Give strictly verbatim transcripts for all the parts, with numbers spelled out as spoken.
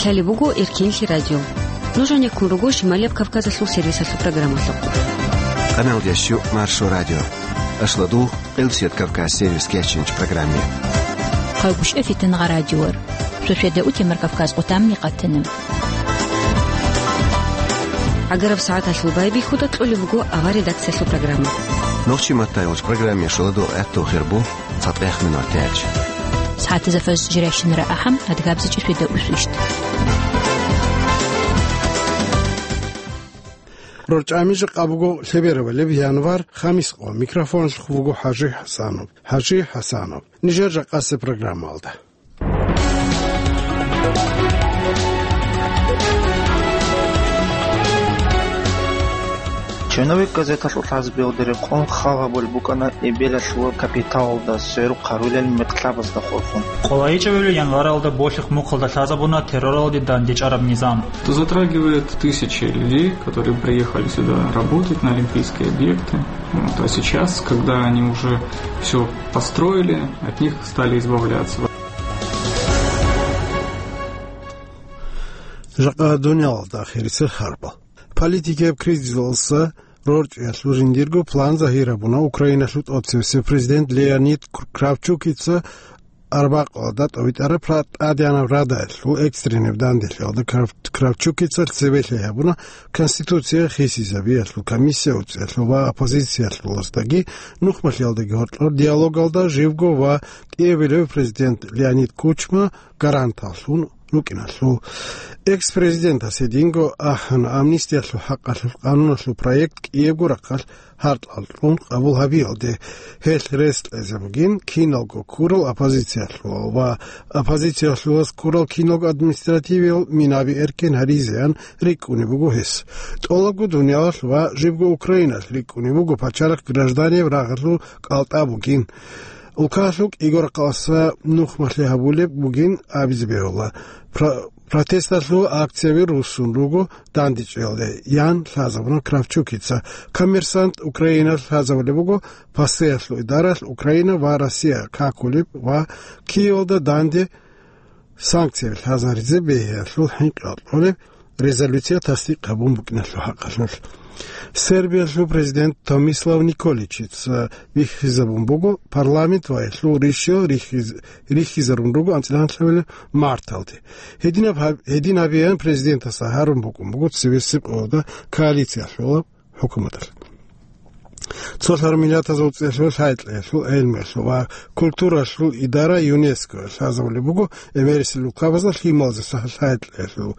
Лъалеб буго Эркенлъи радио. Нуж гьанеккун руго Шималияб Кавказалъул сервисалъул программалъухъ. Къаналдящу Маршо радио. Ашладу Къилсият Кавказ сервис кечинч программе. Хъалгушев Фитнагъа радиор. Шошеда утемар Кавказ къутамни къатана. ГӀагараб сагӀаталъул байбихьуда кьолеб буго авар редакциялъул программа. Нохчи маттайолч программе шоладу гӀатту хирбу. ЦатӀех минутач. СагӀатазда фаз жирайщинара ахӀам, адгабзичӀи шведа усвищт. РорчӀами жакъа буго лъеберабалеб январ, хамис къо. Микрофоналъухъ вуго ХӀажи ХӀасанов. ХӀажи ХӀасанов. Нижер жакъасеб программалда. Черновик газеталъул хӀазбиялда рекъон хал гьабулеб букӀана эбелалъул капиталалда сверухъ гьарулел метлабазда хурхун. КъолайичӀебали январалда Болъихъ мухъалда лъазабуна терроралде дандечӀараб низам. Это затрагивает тысячи людей, которые приехали сюда работать на олимпийские объекты. Вот. А сейчас, когда они уже всё построили, от них стали избавляться. Жакъа дуниялалда ахирисел харбал. Политикияб кризисалъа рорчӀиялъул жиндирго план загьир гьабуна Украиналъул тӀоцевесев президент Леонид Кр-, Кравчукица арбакъалда тӀовитӀараб ра-, тӀадегӀанаб радалъул экстреннаб данделъиялда. Крав-, Кравчукица цебе лъай гьабуна Конституция хисизабиялъул комиссия уцӀиялъул ва оппозициялъулаздаги нухмалъиялдаги гьоркьор диалогалда живго ва кӀиабилев президент Леонид Кучма гаранталлъун рукӀиналъул. Экс-президентас гьединго ахӀана амнистиялъул хӀакъалъулъ къануналъул проект кӀиябго рахъалъ гьаркьал кьун къабул гьабиялде. Гьелъ рес кьезе бугин киналго ккурал оппозициялъулал ва оппозициялъулаз ккурал киналго административиял минаби эркен гьаризеян рикӀкӀунеб буго гьес. ТӀолабго дуниялалъ ва жибго Украиналъ рикӀкӀунеб буго пачалихъ гражданияб рагъалъул кӀалтӀа бугин. Улкалъукь игорахъалъа нухмалъи гьабулеб бугин абизе бегьула. Про-, протесталъул акцияби руссун руго дандечӀиялде, ян лъазабуна Кравчукица. Коммерсант Украиналъ лъазабулеб буго, пасеялъул идаралъ Украина ва Россия какулеб ва Киевалда данде санкцияби лъазаризе бегьиялъул хӀинкъи кьолеб резолюция тасдикъ гьабун букӀиналъул хӀакъалъулъ. Сербиялъул президент Томислав Николичица бихьизабун буго парламент ва гьелъул ришал рихьиз-, рихьизарун руго анцӀила гьанлъабилеб марталде. Гьединаб гьаб-, гьедин гьабеян президентас гьарун букӀун буго цебесеб къоялда коалициялъулаб хӀукуматалъ. Цо лъар миллатазул цӀелъул лъай-кьеялъул гӀелмуялъул ва культуралъул идара ЮНЕСКО лъазабулеб буго, эбелалъул улкабазда лъималазе лъай-кьеялъул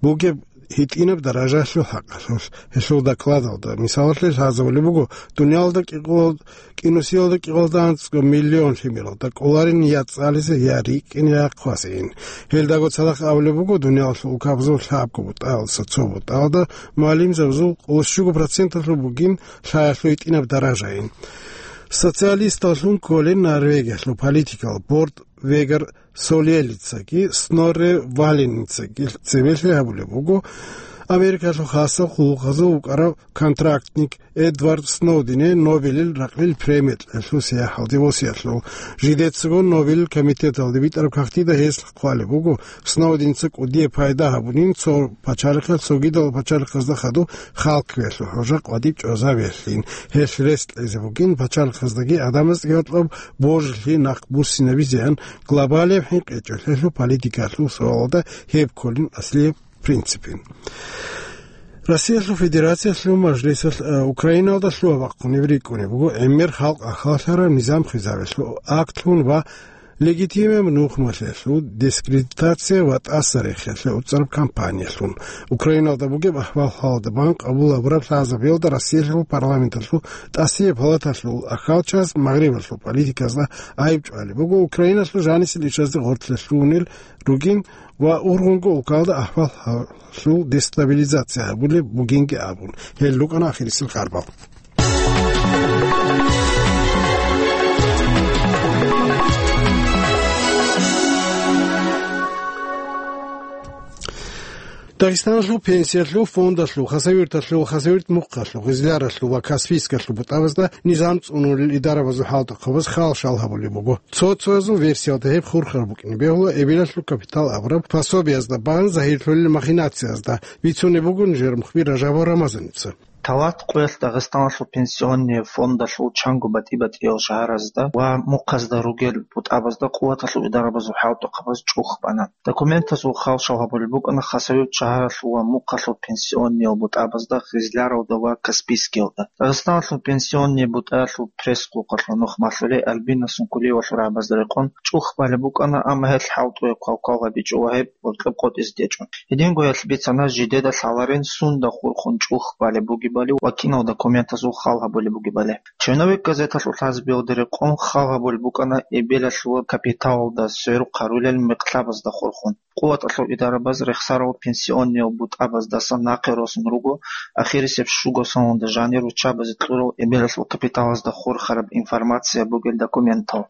бугеб гьитӀинаб даражаялъул хӀакъалъулъ. Гьелъул докладалда, мисалалъе, лъазабулеб буго, дуниялалда кӀикъоялда, кӀинусиялда кӀикъоялда анцӀго миллион лъимералда кӀоларин я цӀализе, я рикӀкӀине, я хъвазейин. Гьелдаго цадахъ абулеб буго, дуниялалъул улкабазул лъабго бутӀаялдаса цо бутӀаялда мугӀалимзабазул къоло щуго проценталъул бугин лъаялъул гьитӀинаб даражайин. Социалисталлъун кколин Норвегиялъул политикал борд Вегер Солелицаги Снорре Валеницаги цебе лъай гьабулеб буго Америкалъул хасал къуллукъазул вукӀарав контрактник Эдвард Сноудене Нобелил ракьил премия кьелъул сияхӀалде восиялъул. Жидецаго Нобелил комитеталде битӀараб кагътида гьес хъвалеб буго, Сноуденца кӀудияб пайда гьабунин цо пачалихъа цогидал пачалихъазда хадуб халкъиялъул хӀужа къватӀиб чӀвазабиялъин. Гьелъ рес кьезе бугин пачалихъаздаги гӀадамаздаги гьоркьоб божилъи нахъ буссинабизеян глобалияб хӀинкъичӀелъулъул политикалъул суалалда гьеб кколин аслияб принципин. Россиялъул Федерациялъул Мажлисалъ, э, Украиналда лъугьа-бахъунеб рикӀкӀунеб буго гӀемер халкъ ахаллъараб низам хизабиялъул актлъун ва легитимаб нухмалъиялъул дискредитация ва тӀаса рехиялъе уцӀараб кампаниялъун. Украиналда бугеб ахӀвал-хӀалалда бан къабул гьабураб лъазабиялда Россиялъул парламенталъул тӀасияб палаталъул ахалчияс Магърибалъул политиказда гӀайиб чӀвалеб буго Украиналъул жанисел ишазде гъоркьлъи лъугьунел ругин ва ургъунго улкалда ахӀвал-хӀалалъул дестабилизация гьабулеб бугинги абун. Гьел рукӀана ахирисел харбал. Дагъистаналъул пенсиялъул фондалъул, Хасавюрталъул, Хасавюрт мухъалъул, Гъизляралъул ва Каспийскалъул бутӀабазда низам цӀунулел идарабазул хӀалтӀухъабаз хал-шал гьабулеб буго. Цо-цоязул версиялда гьеб хурхараб букӀине бегьула эбелалъул капитал абураб пособиязда бан загьирлъулел махинациязда, бицунеб буго нижер мухбир Ражабов Рамазаница. Талат къоялъ Дагъистаналъул пенсионный фондалъул чанго батӀи-батӀиял шагьаразда ва мухъазда ругел бутӀабазда къуваталъул идарабазул хӀалтӀухъабаз чӀух бана. Документазул хал-шал гьабулеб букӀана Хасавюрт шагьаралъул ва мухъалъул пенсионныял бутӀабазда, Хизляралда ва Каспийскиялда. Дагъистаналъул пенсионный бутӀаялъул пресс-къулкъалъул нух малъулей Альбина Сункулиевалъул рагӀабазда рекъон чӀух балеб букӀана, амма гьелъ хӀалтӀуе квалквал гьабичӀо ва гьеб гьоркьоб къотӀизе тӀечӀо. Гьединго гьелъ бицана жидеда лъаларин сунда хурхун чӀух балеб бугебали ва кинал документазул хал гьабулеб бугебали. Черновик газеталъул лъазабиялда рекъон хал гьабулеб букӀана эбелалъул капиталалда сверухъ гьарулел мекълъабазда хурхун. Къуваталъул идарабаз рехсарал пенсионныял бутӀабаздасан нахъе росун руго ахирисеб щуго соналда жанир руччабазе кьурал эбелалъул капиталазда хурхараб информация бугел документал.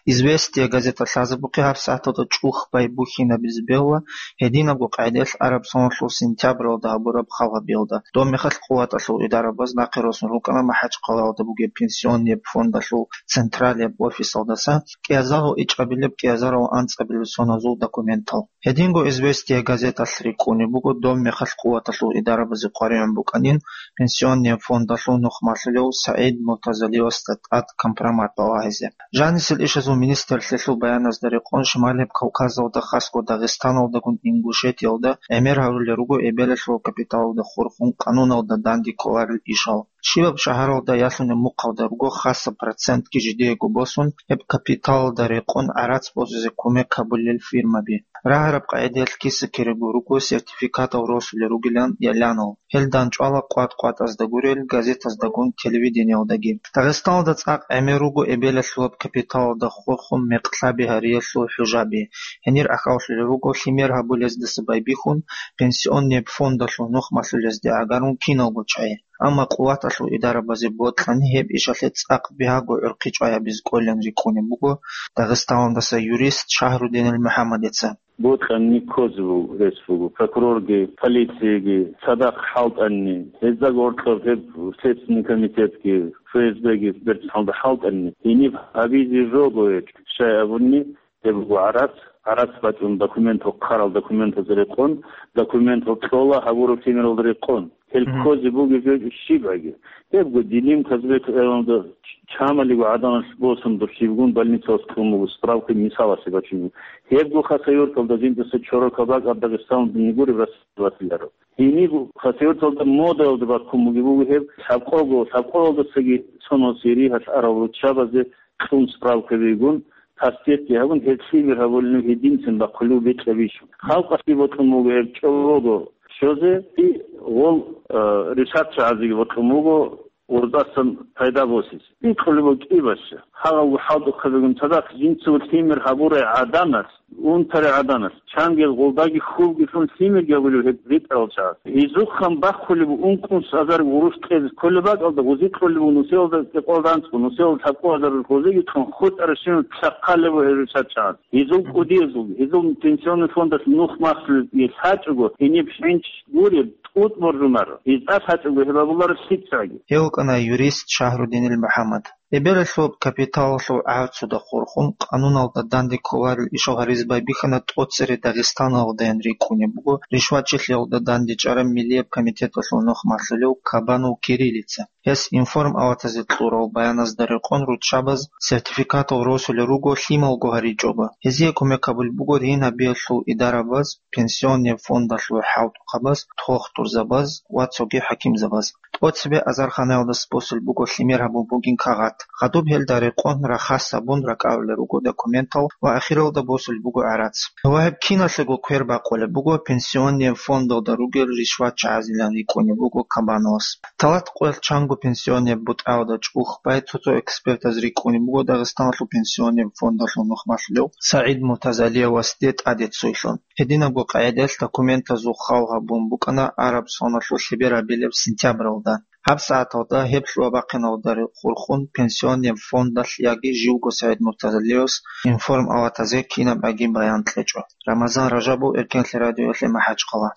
«Известия» газета лъазабухъе гьабсагӀаталда чӀух байбухьинабизе бегьула гьединабго къагӀидаялъ араб соналъул сентябралда гьабураб хал гьабиялда. Доб мехалъ къуваталъул идарабаз нахъе росун рукӀана МахӀачхъалаялда бугеб пенсионный фондалъул централияб офисалдаса кӀиазарал ичӀабилеб, кӀиазарал анцӀабилеб соназул документал. Гьединго «Известия» газеталъ рикӀкӀунеб буго доб мехалъ къуваталъул идарабазе къваригӀун букӀанин пенсионный фондалъул нух малъулев СагӀид Муртазалиевасда тӀад компромат балагьизе. Жанисел ишазул министрлъиялъул баяназда рекъон Шималияб Кавказалда, хасго Дагъистаналдагун Ингушетиялда гӀемер гьарулел руго эбелалъул капиталалда хурхун къануналда данде кколарел ишал. Щибаб шагьаралда ялъунеб мухъалда руго хасаб процентги жидеего босун, гьеб капиталалда рекъон гӀарац босизе кумек гьабулел фирмаби. Рагьараб къагӀидаялъ киса-кирего руго сертификатал росулел ругилан ялъанал. Гьел дандчӀвала къватӀ-къватӀазда гурел газетаздагун, телевидениялдаги. Дагъистаналда цӀакъ гӀемер руго эбелалъулаб капиталалда хурхун мекълъаби гьариялъул хӀужаби. Гьенир ахӀаллъулел руго лъимер гьабулездаса байбихьун пенсионный фондалъул нух малъулезде гӀагарун киналго чагӀи. Амма къуваталъул идарабазе бокьани гьеб ишалъе цӀакъ бигьаго гӀурхъи чӀваябизе кӀолин рикӀкӀунеб буго Дагъистаналдаса юрист Шагьрудинил МухӀаммадица. Бокьани ккозе буго, рес буго. Прокурорги, полицияги цадахъ хӀалтӀани, гьезда гьоркьоб гьеб Следственный комитетги, ФСБги берцинлъалда хӀалтӀани, гьениб гьабизе жого гьечӀо, щай абуни, гьеб буго гӀарац, гӀарац бачӀун документал хъарал документазда рекъон, документал кьола гьабураб лъимералда рекъон. Гьел Мгм. ккозе бугеб жо щибаги. Гьебго Дилим Казбек районда чамалиго гӀадамал босун дурсибгун больницалас кьун буго, справка мисалалъе бачун буго. Гьебго Хасавюрталда жиндаса чорокал бакӀаб Дагъистаналда гуреб расиларав. Гьениб Хасавюрталда модаялда баккун бугеб буго гьеб, лъабкъого, лъабкъоялдасаги цоносе ригьалъ арал руччабазе кьун справка бигун, паспортги гьабун, гьеб лъимер гьабулин гьединцин бахъулев бекьа бищун. Халкъалъе бокьун буго гьеб чӀобого щозе, и гъол, э, ришат чагӀазеги бокьун буго, гъоздасан пайда босизе. Бикьулеб буго кӀибаще. Гьагъалго хӀалтӀухъабигун цадахъ жинцаго лъимер гьабурай гӀаданас, унтарай гӀаданас, чангел гъолдаги хьулги лъун лъимерги гьабулеб гьеб ритӀарал чагӀаз. Гьезухъан бахъулеб ункънус азар гъурущ кьезе кколеб бакӀалда, гъузи кьолеб нусиялда кӀикъвалда анцӀго, нусиялда лъабкъо азар гъозиги кьун, хутӀарабщинаб чахъалеб гьеб ришат чагӀаз. Гьезул кӀудиязул, гьезул пенсионный фондалъ нух махлъи лъачӀого, гьениб хӀинч гуреб, тӀутӀ боржунаро. Гьезда лъачӀого гьеб абуларо лъицаги. Гьев вукӀана юрист Шагьрудинил МухӀаммад. Эбелалъул капиталалъул гӀарцуда хурхун, къануналда данде кколарел ишал гьаризе байбихьана тӀоцере Дагъистаналдаян рикӀкӀунеб буго ришватчилъиялда дандечӀараб Миллияб комитеталъул нух малъулев Кабанов Кириллица. Гьес информ аватазе кьурал баяназда рекъон руччабаз сертификатал росулел руго лъималго гьаричӀоба. Гьезие кумек гьабулеб буго ригьин гьабиялъул идарабаз, пенсионный фондалъул хӀалтӀухъабаз, дохтурзабаз ва цоги хӀакимзабаз. ТӀоцебе азарханаялдаса босулеб буго лъимер гьабун бугин кагъат. Хадуб гьелда рекъон рахас гьабун ракӀалулел руго документал ва ахиралда босулеб буго гӀарац. Ва гьеб киналъего квер бакъулеб буго пенсионный фондалда ругел ришватчагӀазилан рикӀкӀунеб буго Кабановас. Талат къоялъ чанго пенсионный бутӀаялда чӀух бай цо-цо экспертаз рикӀкӀунеб буго Дагъистаналъул пенсионный фондалъул нух малъулев СагӀид Муртазалиевасде тӀаде цойлъун. Гьединабго къагӀидаялъ документазул хал гьабун букӀана араб соналъул лъеберабилеб сентябралда. ГьабсагӀаталда гьеб лъугьа-бахъиналда хурхун пенсионный фондалъ яги живго СагӀид Муртазалиевас информ аватазе кинаб аги баян кьечӀо. Рамазан Ражабов, Эркенлъи радиоялъе, МахӀачхъала.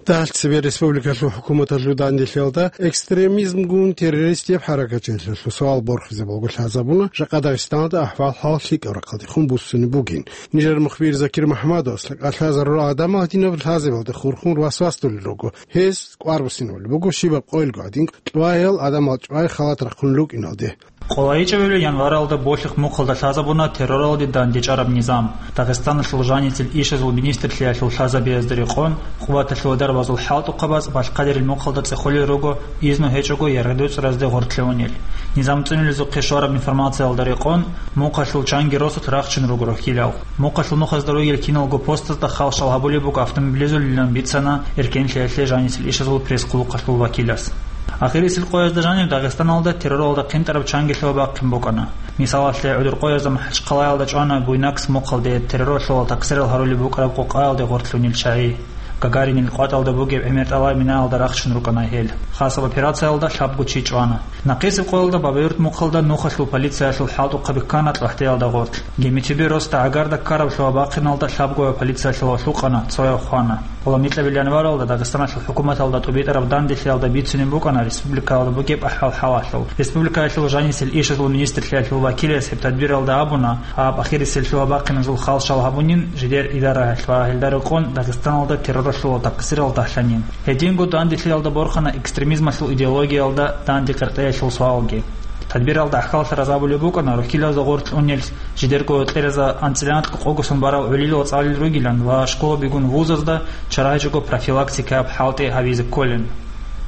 Дагьалда цебе республикалъул хӀукуматалъул данделъиялда экстремизмгун террористияб хӀаракатчиясулъул суал борхизе балго лъазабуна, жакъа Дагъистаналда ахӀвал-хӀал лъикӀаб рахъалдехун буссунеб бугин. Нижер мухбир Закир МухӀаммадовас лъазарурал гӀадамал гьадинаб лъазабиялда хурхун васвасдулел руго. Гьез кӀвар буссинабулеб буго щибаб къоялго гӀадин, чӀваял гӀадамал чӀвай халат рахъун рукӀиналде. КъолайичӀебали январалда Болъихъ мухъалда лъазабуна терроралде дандечӀараб низам. Дагъистаналъул жаницел ишазул министрлъиялъул лъазабиязда рекъон, къуваталъул дарбазул хӀалтӀухъабаз балъкъадирил мухъалда цӀехолел руго изну гьечӀого яргъи доцӀразде гъортлъи унел. Низам цӀунулезухъе щвараб информациялда рекъон, мухъалъул чанги росулъ рахчун руго рохьилал. Мухъалъул нухазда ругел киналго постазда халщал гьабулеб буго автомобилизулилан бицана эркенлъиялъе жаницел ишазул пресс-хъулухъалъул вакилас. Ахирисел къоязда жанив Дагъистаналда терроралда хъинтӀараб чангилъи бахъин букӀана. Мисалалъе, гӀодор къоязда МахӀачхъалаялда чӀвана Буйнакск мухъалде терроралъул такъсирал гьарулеб букӀараб къокъаялде гъортлъунел чагӀи. Гагаринил къватӀалда бугеб гӀемер тӀалай минаялда рахчун рукӀана гьел. Хасаб операциялда лъабго чи чӀвана. Нахъисеб къоялда Бабаюрт мухъалда нухалъул полициялъул хӀалтӀухъаби ккана ТӀлахӀдеялда гъоркь. Гемитиби росда гӀагарда ккараб лъугьа-бахъиналда лъабгояв полициялъул валъукъана, цояв хвана. Гьуламикьабил январалда Дагъистаналъул хӀукуматалда тӀубитӀараб данделъиялда бицунеб букӀана республикаялда бугеб ахӀвал-хӀалалъул. Республикаялъул жанисел ишазул министрлъиялъул вакилас гьеб тадбиралда абуна, гьаб ахирисел лъугьа-бахъиназул халщал гьабунин жидер идараялъ ва гьелда рекъон Дагъистаналда терроралъул такъсирал дагьлъанин. Гьединго данделъиялда борхана экстремизмалъул идеологиялда данде къеркъеялъул суалги. Тадбиралда гӀахьаллъаразабулеб букӀана рухьилазда гъоркь унел жидерго гьоркьеразда анцӀила къокъго сон барав гӀолилал цӀалулел ругилан ва школабигун вузазда чарахӀичӀого профилактикаяб хӀалтӀи гьабизе кколин.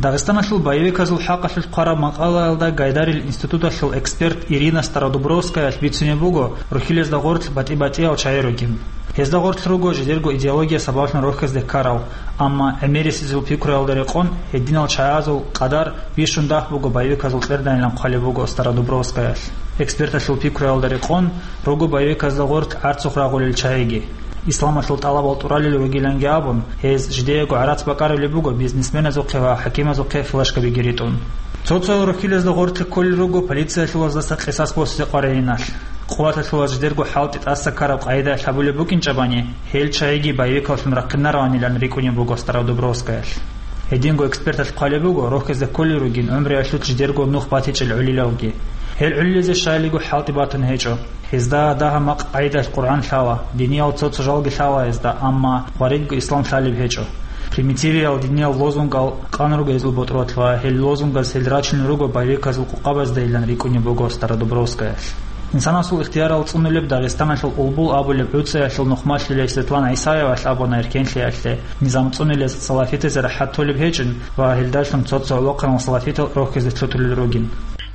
Дагъистаналъул боевиказул хӀакъалъулъ хъвараб макъалаялда Гайдарил институталъул эксперт Ирина Стародубровскаялъ бицунеб буго рухьилазда гъоркь батӀи-батӀиял чагӀи ругин. Гьезда гъоркь руго жидерго идеология сабаблъун рохьизде ккарал, амма гӀемерисезул пикруялда рекъон гьединал чагӀазул къадар бищун дагь буго боевиказул кьерданилан хъвалеб буго Стародубровскаялъ. Эксперталъул пикруялда рекъон руго боевиказда гъоркь гӀарцухъ рагъулел чагӀиги. Исламалъул тӀалабал тӀуралел ругиланги абун, гьез жидеего гӀарац бакӀарулеб буго бизнесменазухъе ва хӀакимазухъе флешкабиги ритӀун. Цо-цо рухьилазда гъоркье кколел руго полициялъулаздаса къисас босизе къваригӀиналъ. Къуваталъулаз жидерго хӀалтӀи тӀаса ккараб къагӀидаялъ гьабулеб букӀинчӀебани, гьел чагӀиги боевикаллъун рахъинараванилан рикӀкӀунеб буго Стародубровскаялъ. Гьединго эксперталъ хъвалеб буго, рохьизе кколел ругин гӀумруялъулъ жидерго нух батичӀел гӀолилалги. Гьел гӀолилазе щайилиго хӀалтӀи батун гьечӀо. Гьезда дагьа-макъ къагӀидаялъ Къуръан лъала, диниял цо-цо жалги лъала гьезда, амма гъваридго ислам лъалеб гьечӀо. Примитивиял диниял лозунгал къан руго гьезул ботӀролъ ва гьел лозунгаз гьел рачунел руго боевиказул къокъабаздайилан рикӀкӀунеб буго Стародубровскаялъ. Инсанасул ихтиярал цӀунулеб Дагъистаналъул Улбул абулеб гӀуцӀаялъул нухмалъулей Светлана ГӀисаевалъ абуна эркенлъиялъе, низам цӀунулез салафитазе рахӀат толеб гьечӀин ва гьелдалъун цо-цо гӀолохъанал салафитал рохьизе лъутулел ругин.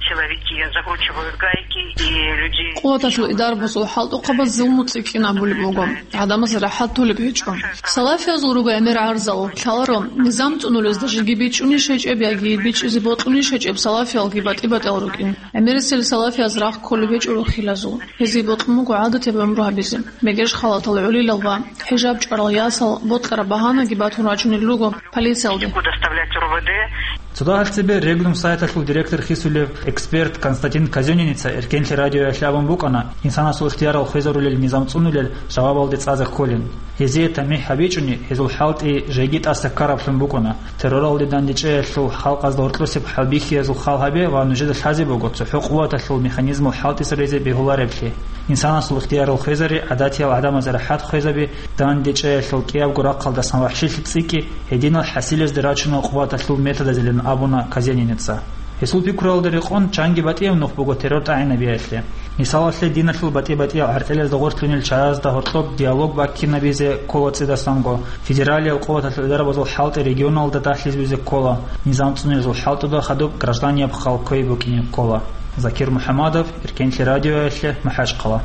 Силовики закручивают гайки и людей. Къуваталъул идарбазул хӀалтӀухъабаз зулму цӀикӀкӀин абулеб буго. ГӀадамазе рахӀат толеб гьечӀо. Салафиязул руго гӀемер гӀарзал. Лъаларо, низам цӀунулезда жеги бичӀчӀунищ гьечӀеб яги бичӀчӀизе бокьунищ гьечӀеб салафиялги батӀи-батӀиял рукӀин. ГӀемерисел салафияз рахъ кколеб гьечӀо рухьилазул. Гьезие бокьун буго гӀадатияб гӀумру гьабизе. Мегеш халатал гӀолилал ва хӀижаб чӀварал ясал бокьараб багьанаги батун рачунел руго полициялде. Доставлять РОВД. Цо дагьалда цебе Регнум сайталъул директор хисулев эксперт Константин Казёнинница эркенлъи радиоялъе абун букӀана, инсанасул ихтиярал хвезарулел низам цӀунулел жавабалде цӀазе кколин. Гьезие тамихӀ гьабичӀони, гьезул хӀалтӀи жеги тӀаса ккараблъун букӀана. Терроралде дандечӀеялъул халкъазда гьоркьосеб хӀалбихьиязул хал гьабе ва нужеда лъазе буго цохӀо къуваталъул механизмал хӀалтӀизаризе бегьулареблъи. Инсанасул ихтиярал хвезари, гӀадатиял гӀадамазе рахӀат хвезаби, дандечӀеялъул кӀиябго рахъалдасан вахӀшилъи цӀикӀкӀи, гьединал хӀасилезде рачунал къуваталъул методазилан абуна Казьянинеца. Гьесул пикруялда рекъон, чанги батӀияб нух буго террор тӀагӀинабиялъе. Мисалалъе, диналъул батӀи-батӀиял гӀертӀелазда гъортлъунел чагӀазда гьоркьоб диалог баккинабизе ккола цӀидасанго, федералиял къуваталъул дарбазул хӀалтӀи регионалда дагьлъизабизе ккола, низам цӀунезул хӀалтӀуда хадуб гражданияб хал кквей букӀине ккола. Закир МухӀаммадов, Эркенлъи радиоялъе, МахӀачхъала.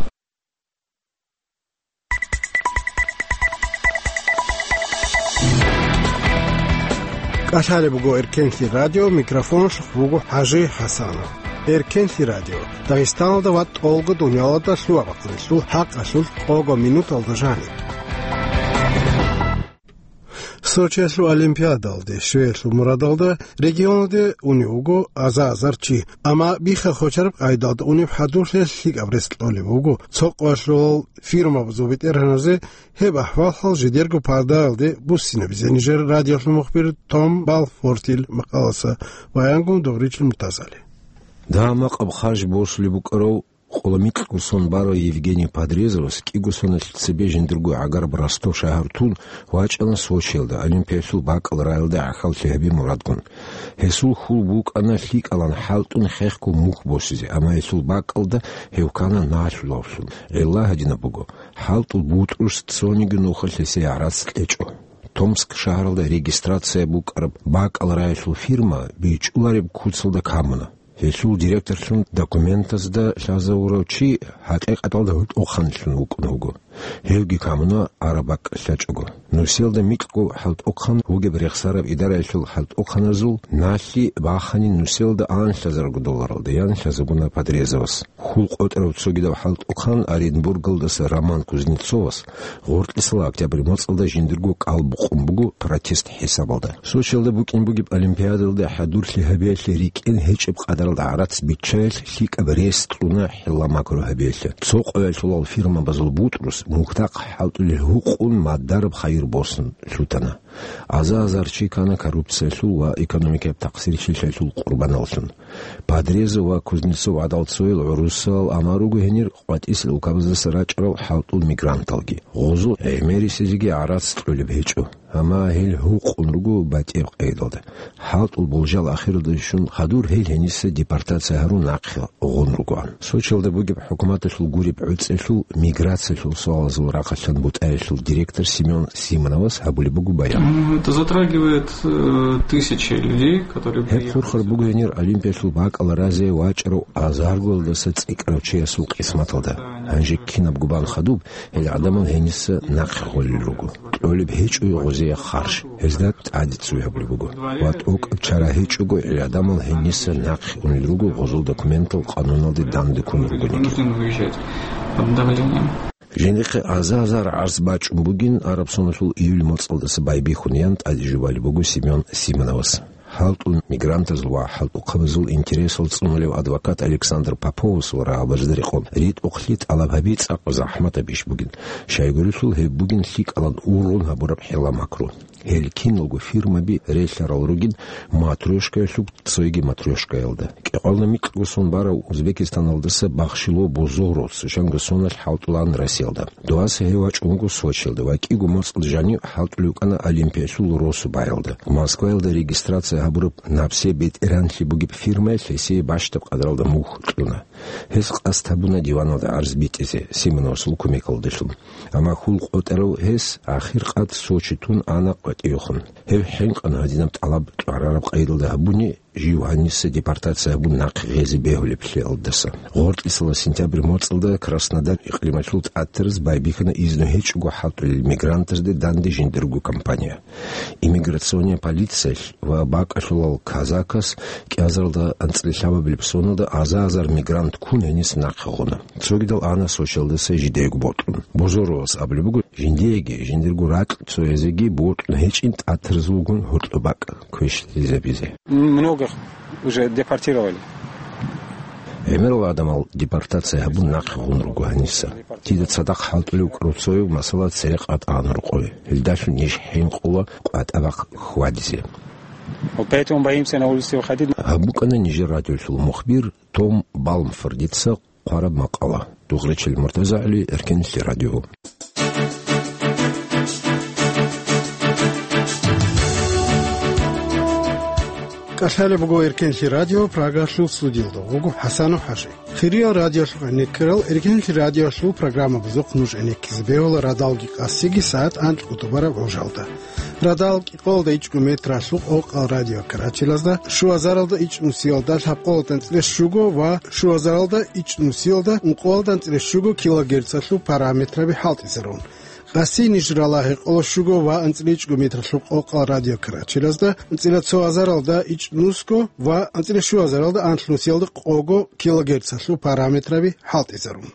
КӀалъалеб буго Эркенлъи радио, микрофоналъухъ буго ХӀажи ХӀасанов. Эркенлъи радио, Дагъистаналда ва тӀолго дунялалда лъугьа-бахъуналъул хӀакъалъулъ къого минуталда жаниб. Сочиялъул олимпиадалде щвеялъул мурадалда регионалде унев вуго аза-азар чи, амма бихха-хочараб къайдалда унеб хӀадурлъи лъикӀаб рес кьолеб буго. Цо къоялъул фирмабазул бетӀергьаназе гьеб ахӀвал-хӀал жидерго пардаялде буссинабизе нижер радиолъул мухбир Том Балфортил макъаласа баянгун Догъричил Муртазали. Дагьа-макъаб харж босулеб букӀарав къоло микьго сон барав Евгений Подрезовас кӀиго соналъ цебе жиндирго гӀагараб Ростов шагьар тун вачӀана Сочиялда, Олимпиялъул бакӀал раялде гӀахьаллъи гьабизе мурадгун. Гьесул хьул букӀана лъикӀалан хӀалтӀун хехго мухь босизе, амма гьелъул бакӀалда гьев ккана налъулавлъун. ГӀилла гьадинаб буго: хӀалтӀул бутӀрус цониги нухалъ гьесие гӀарац кьечӀо. Томск шагьаралда регистрация букӀараб бакӀал раялъул фирма бичӀчӀулареб куцалда камуна. Гьелъул директорлъун документазда лъазавурав чи хӀакъикъаталда гьоркьоханлъун вукӀун вуго. Гьевги камуна араб бакӀ лъачӀого. Нусиялда микьго хӀалтӀухъан вугеб рехсараб идараялъул хӀалтӀухъаназул налъи бахани нусиялда анлъазарго долларалда ян лъазабуна Подрезовас. Хьул къотӀарав цогидав хӀалтӀухъан Оренбургалдаса Роман Кузнецовас гъоркьисала октябрь моцӀалда жиндирго кӀал букъун буго протест хӀисабалда. Сочиялда букӀин бугеб Олимпиадалда хӀадурлъи гьабиялъе рикӀкӀин гьечӀеб къадаралда гӀарац биччаялъ лъикӀаб рес кьуна хӀилла-макру гьабиялъе. Цо къоялъулал фирмабазул бутӀрус мухьдахъ хӀалтӀулел гьукъун мадараб хайир босун лъутана. Аза-азар чи ккана коррупциялъул ва экономикаяб такъсирлъиялъул къурбаналлъун. Подрезов ва Кузнецов гӀадал цоял гӀурусал амаруго гьенир къватӀисел улкабаздаса рачӀарал хӀалтӀул мигранталги. Гъозул гӀемерисезеги гӀарац кьолеб гьечӀо, амма гьел гьукъун руго батӀияб къайдалда. ХӀалтӀул болжал ахиралде щун хадур гьел гьениса депортация гьарун нахъе гъун ругоан. Сочиялда бугеб хӀукуматалъул гуреб гӀуцӀелъул миграциялъул суалазул рахъалъан бутӀаялъул директор Семён Симоновас гьабулеб буго баян. Ну, это затрагивает, э, тысячи людей, которые Гьеб приехали хурхар сюда. Буго гьенир Олимпиялъул бакӀал разе вачӀарав азаргоялдаса цӀикӀкӀарав чиясул къисматалда. Гьанже кинабго бан хадуб, гьел гӀадамал гьениса нахъе гъолел руго. Кьолеб гьечӀо гъозие харж, гьезда тӀаде ццуй гьабулеб буго. Ва тӀокӀаб чара гьечӀого, гьел гӀадамал гьениса нахъе унел руго гъозул документал къануналде данде ккун ругониги. Вынужден выезжать под давлением. Жиндихъе аза-азар гӀарз бачӀун бугин, араб соналъул июль моцӀалдаса байбихьун ян тӀаде жубалеб буго Семён Симоновас. ХӀалтӀул мигрантазул ва хӀалтӀухъабазул интересал цӀунулев адвокат Александр Поповасул рагӀабазда рекъон ритӀухълъи тӀалаб гьаби цӀакъ захӀматаб иш бугин, щайгурелъул гьеб бугин лъикӀалан ургъун гьабураб хӀилла-макру. Гьел киналго фирмаби релълъарал ругин матрёшкаялъуб цойги матрёшкаялда. КӀикъоялда микьго сон барав Узбекистаналдаса Бахшило Бузоровас жанго соналъ хӀалтӀулаан Россиялда. Дуваса гьев вачӀун вуго Сочиялда ва кӀиго моцӀалда жанив хӀалтӀулев вукӀана Олимпиялъул росу баялда. Москваялда регистрация гьабураб «Напсе бетӀергьанлъи» бугеб фирмаялъ гьесие бащдаб къадаралда мухь кьуна. Гьес къасд гьабуна диваналда гӀарз битӀизе Симоновасул кумекалдалъун. Амма хьул къотӀарав гьес ахир къад Сочи тун ана къватӀивехун. Гьев хӀинкъана гьадинаб тӀалаб кьварараб къайдалда гьабуни, жив гьаниса депортация гьабун нахъе гъезе бегьулеблъиялдаса. Гъоркьисала сентябрь моцӀалда Краснодар икълималъул тӀатараз байбихьана изну гьечӀого хӀалтӀулел мигрантазде данде жиндирго компания. Иммиграционная полициялъ ва бакӀалъулал казакас кӀиазаралда анцӀила лъабабилеб соналда аза-азар мигрант ккун гьениса нахъе гъуна. Цогидал ана Сочиялдаса жидеего бокьун. Бузоровас абулеб буго, жиндиеги, жиндирго ракь цоязеги бокьун гьечӀин тӀатараз вугун гьоркьоб бакӀ квешлъизабизе. Многих уже депортировали. ГӀемерал гӀадамал депортация гьабун нахъе гъун руго гьаниса. Дида цадахъ хӀалтӀулев вукӀарав цояв, масала, церекъ атӀана рокъове. Гьелдалъун ниж хӀинкъула къватӀа-бахъ хьвадизе. Вот поэтому боимся на улице выходить. Гьаб букӀана нижер радиолъул мухбир Том Балмфордица хъвараб макъала. Дугъричил МуртазагӀли, Эркенлъи радио. КӀалъалеб буго Эркенлъи радио, Прагалъул студиялда вуго ХӀасанов ХӀажи. Хириял радиолъухъ гӀенеккарал, Эркенлъи радиолъул программабазухъ нуж гӀенеккизе бегьула радалги къасиги сагӀат анкьго тӀубараб гӀужалда. Радал кӀикъоялда ичӀго метралъул къокъал радиокарачелазда, щуазаралда ичӀнусиялда лъабкъоялда анцӀила щуго ва щуазаралда ичӀнусиялда ункъоялда анцӀила щуго килогерцалъул параметраби хӀалтӀизарун. Къаси ниж ралагье къоло щуго ва анцӀила ичӀго метралъул къокъал радиокарачелазда, анцӀила цоазаралда ичӀнусго ва анцӀила щуазаралда анлънусиялда къого килогерцалъул параметраби хӀалтӀизарун.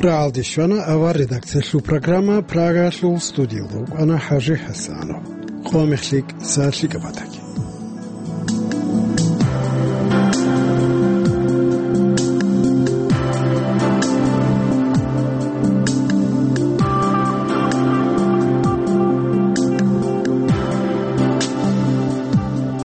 Рагьалде щвана авар редакциялъул программа, Прагалъул студиялда вукӀана ХӀажи ХӀасанов. Къо мехлъи кӀиса лъикӀаб батани.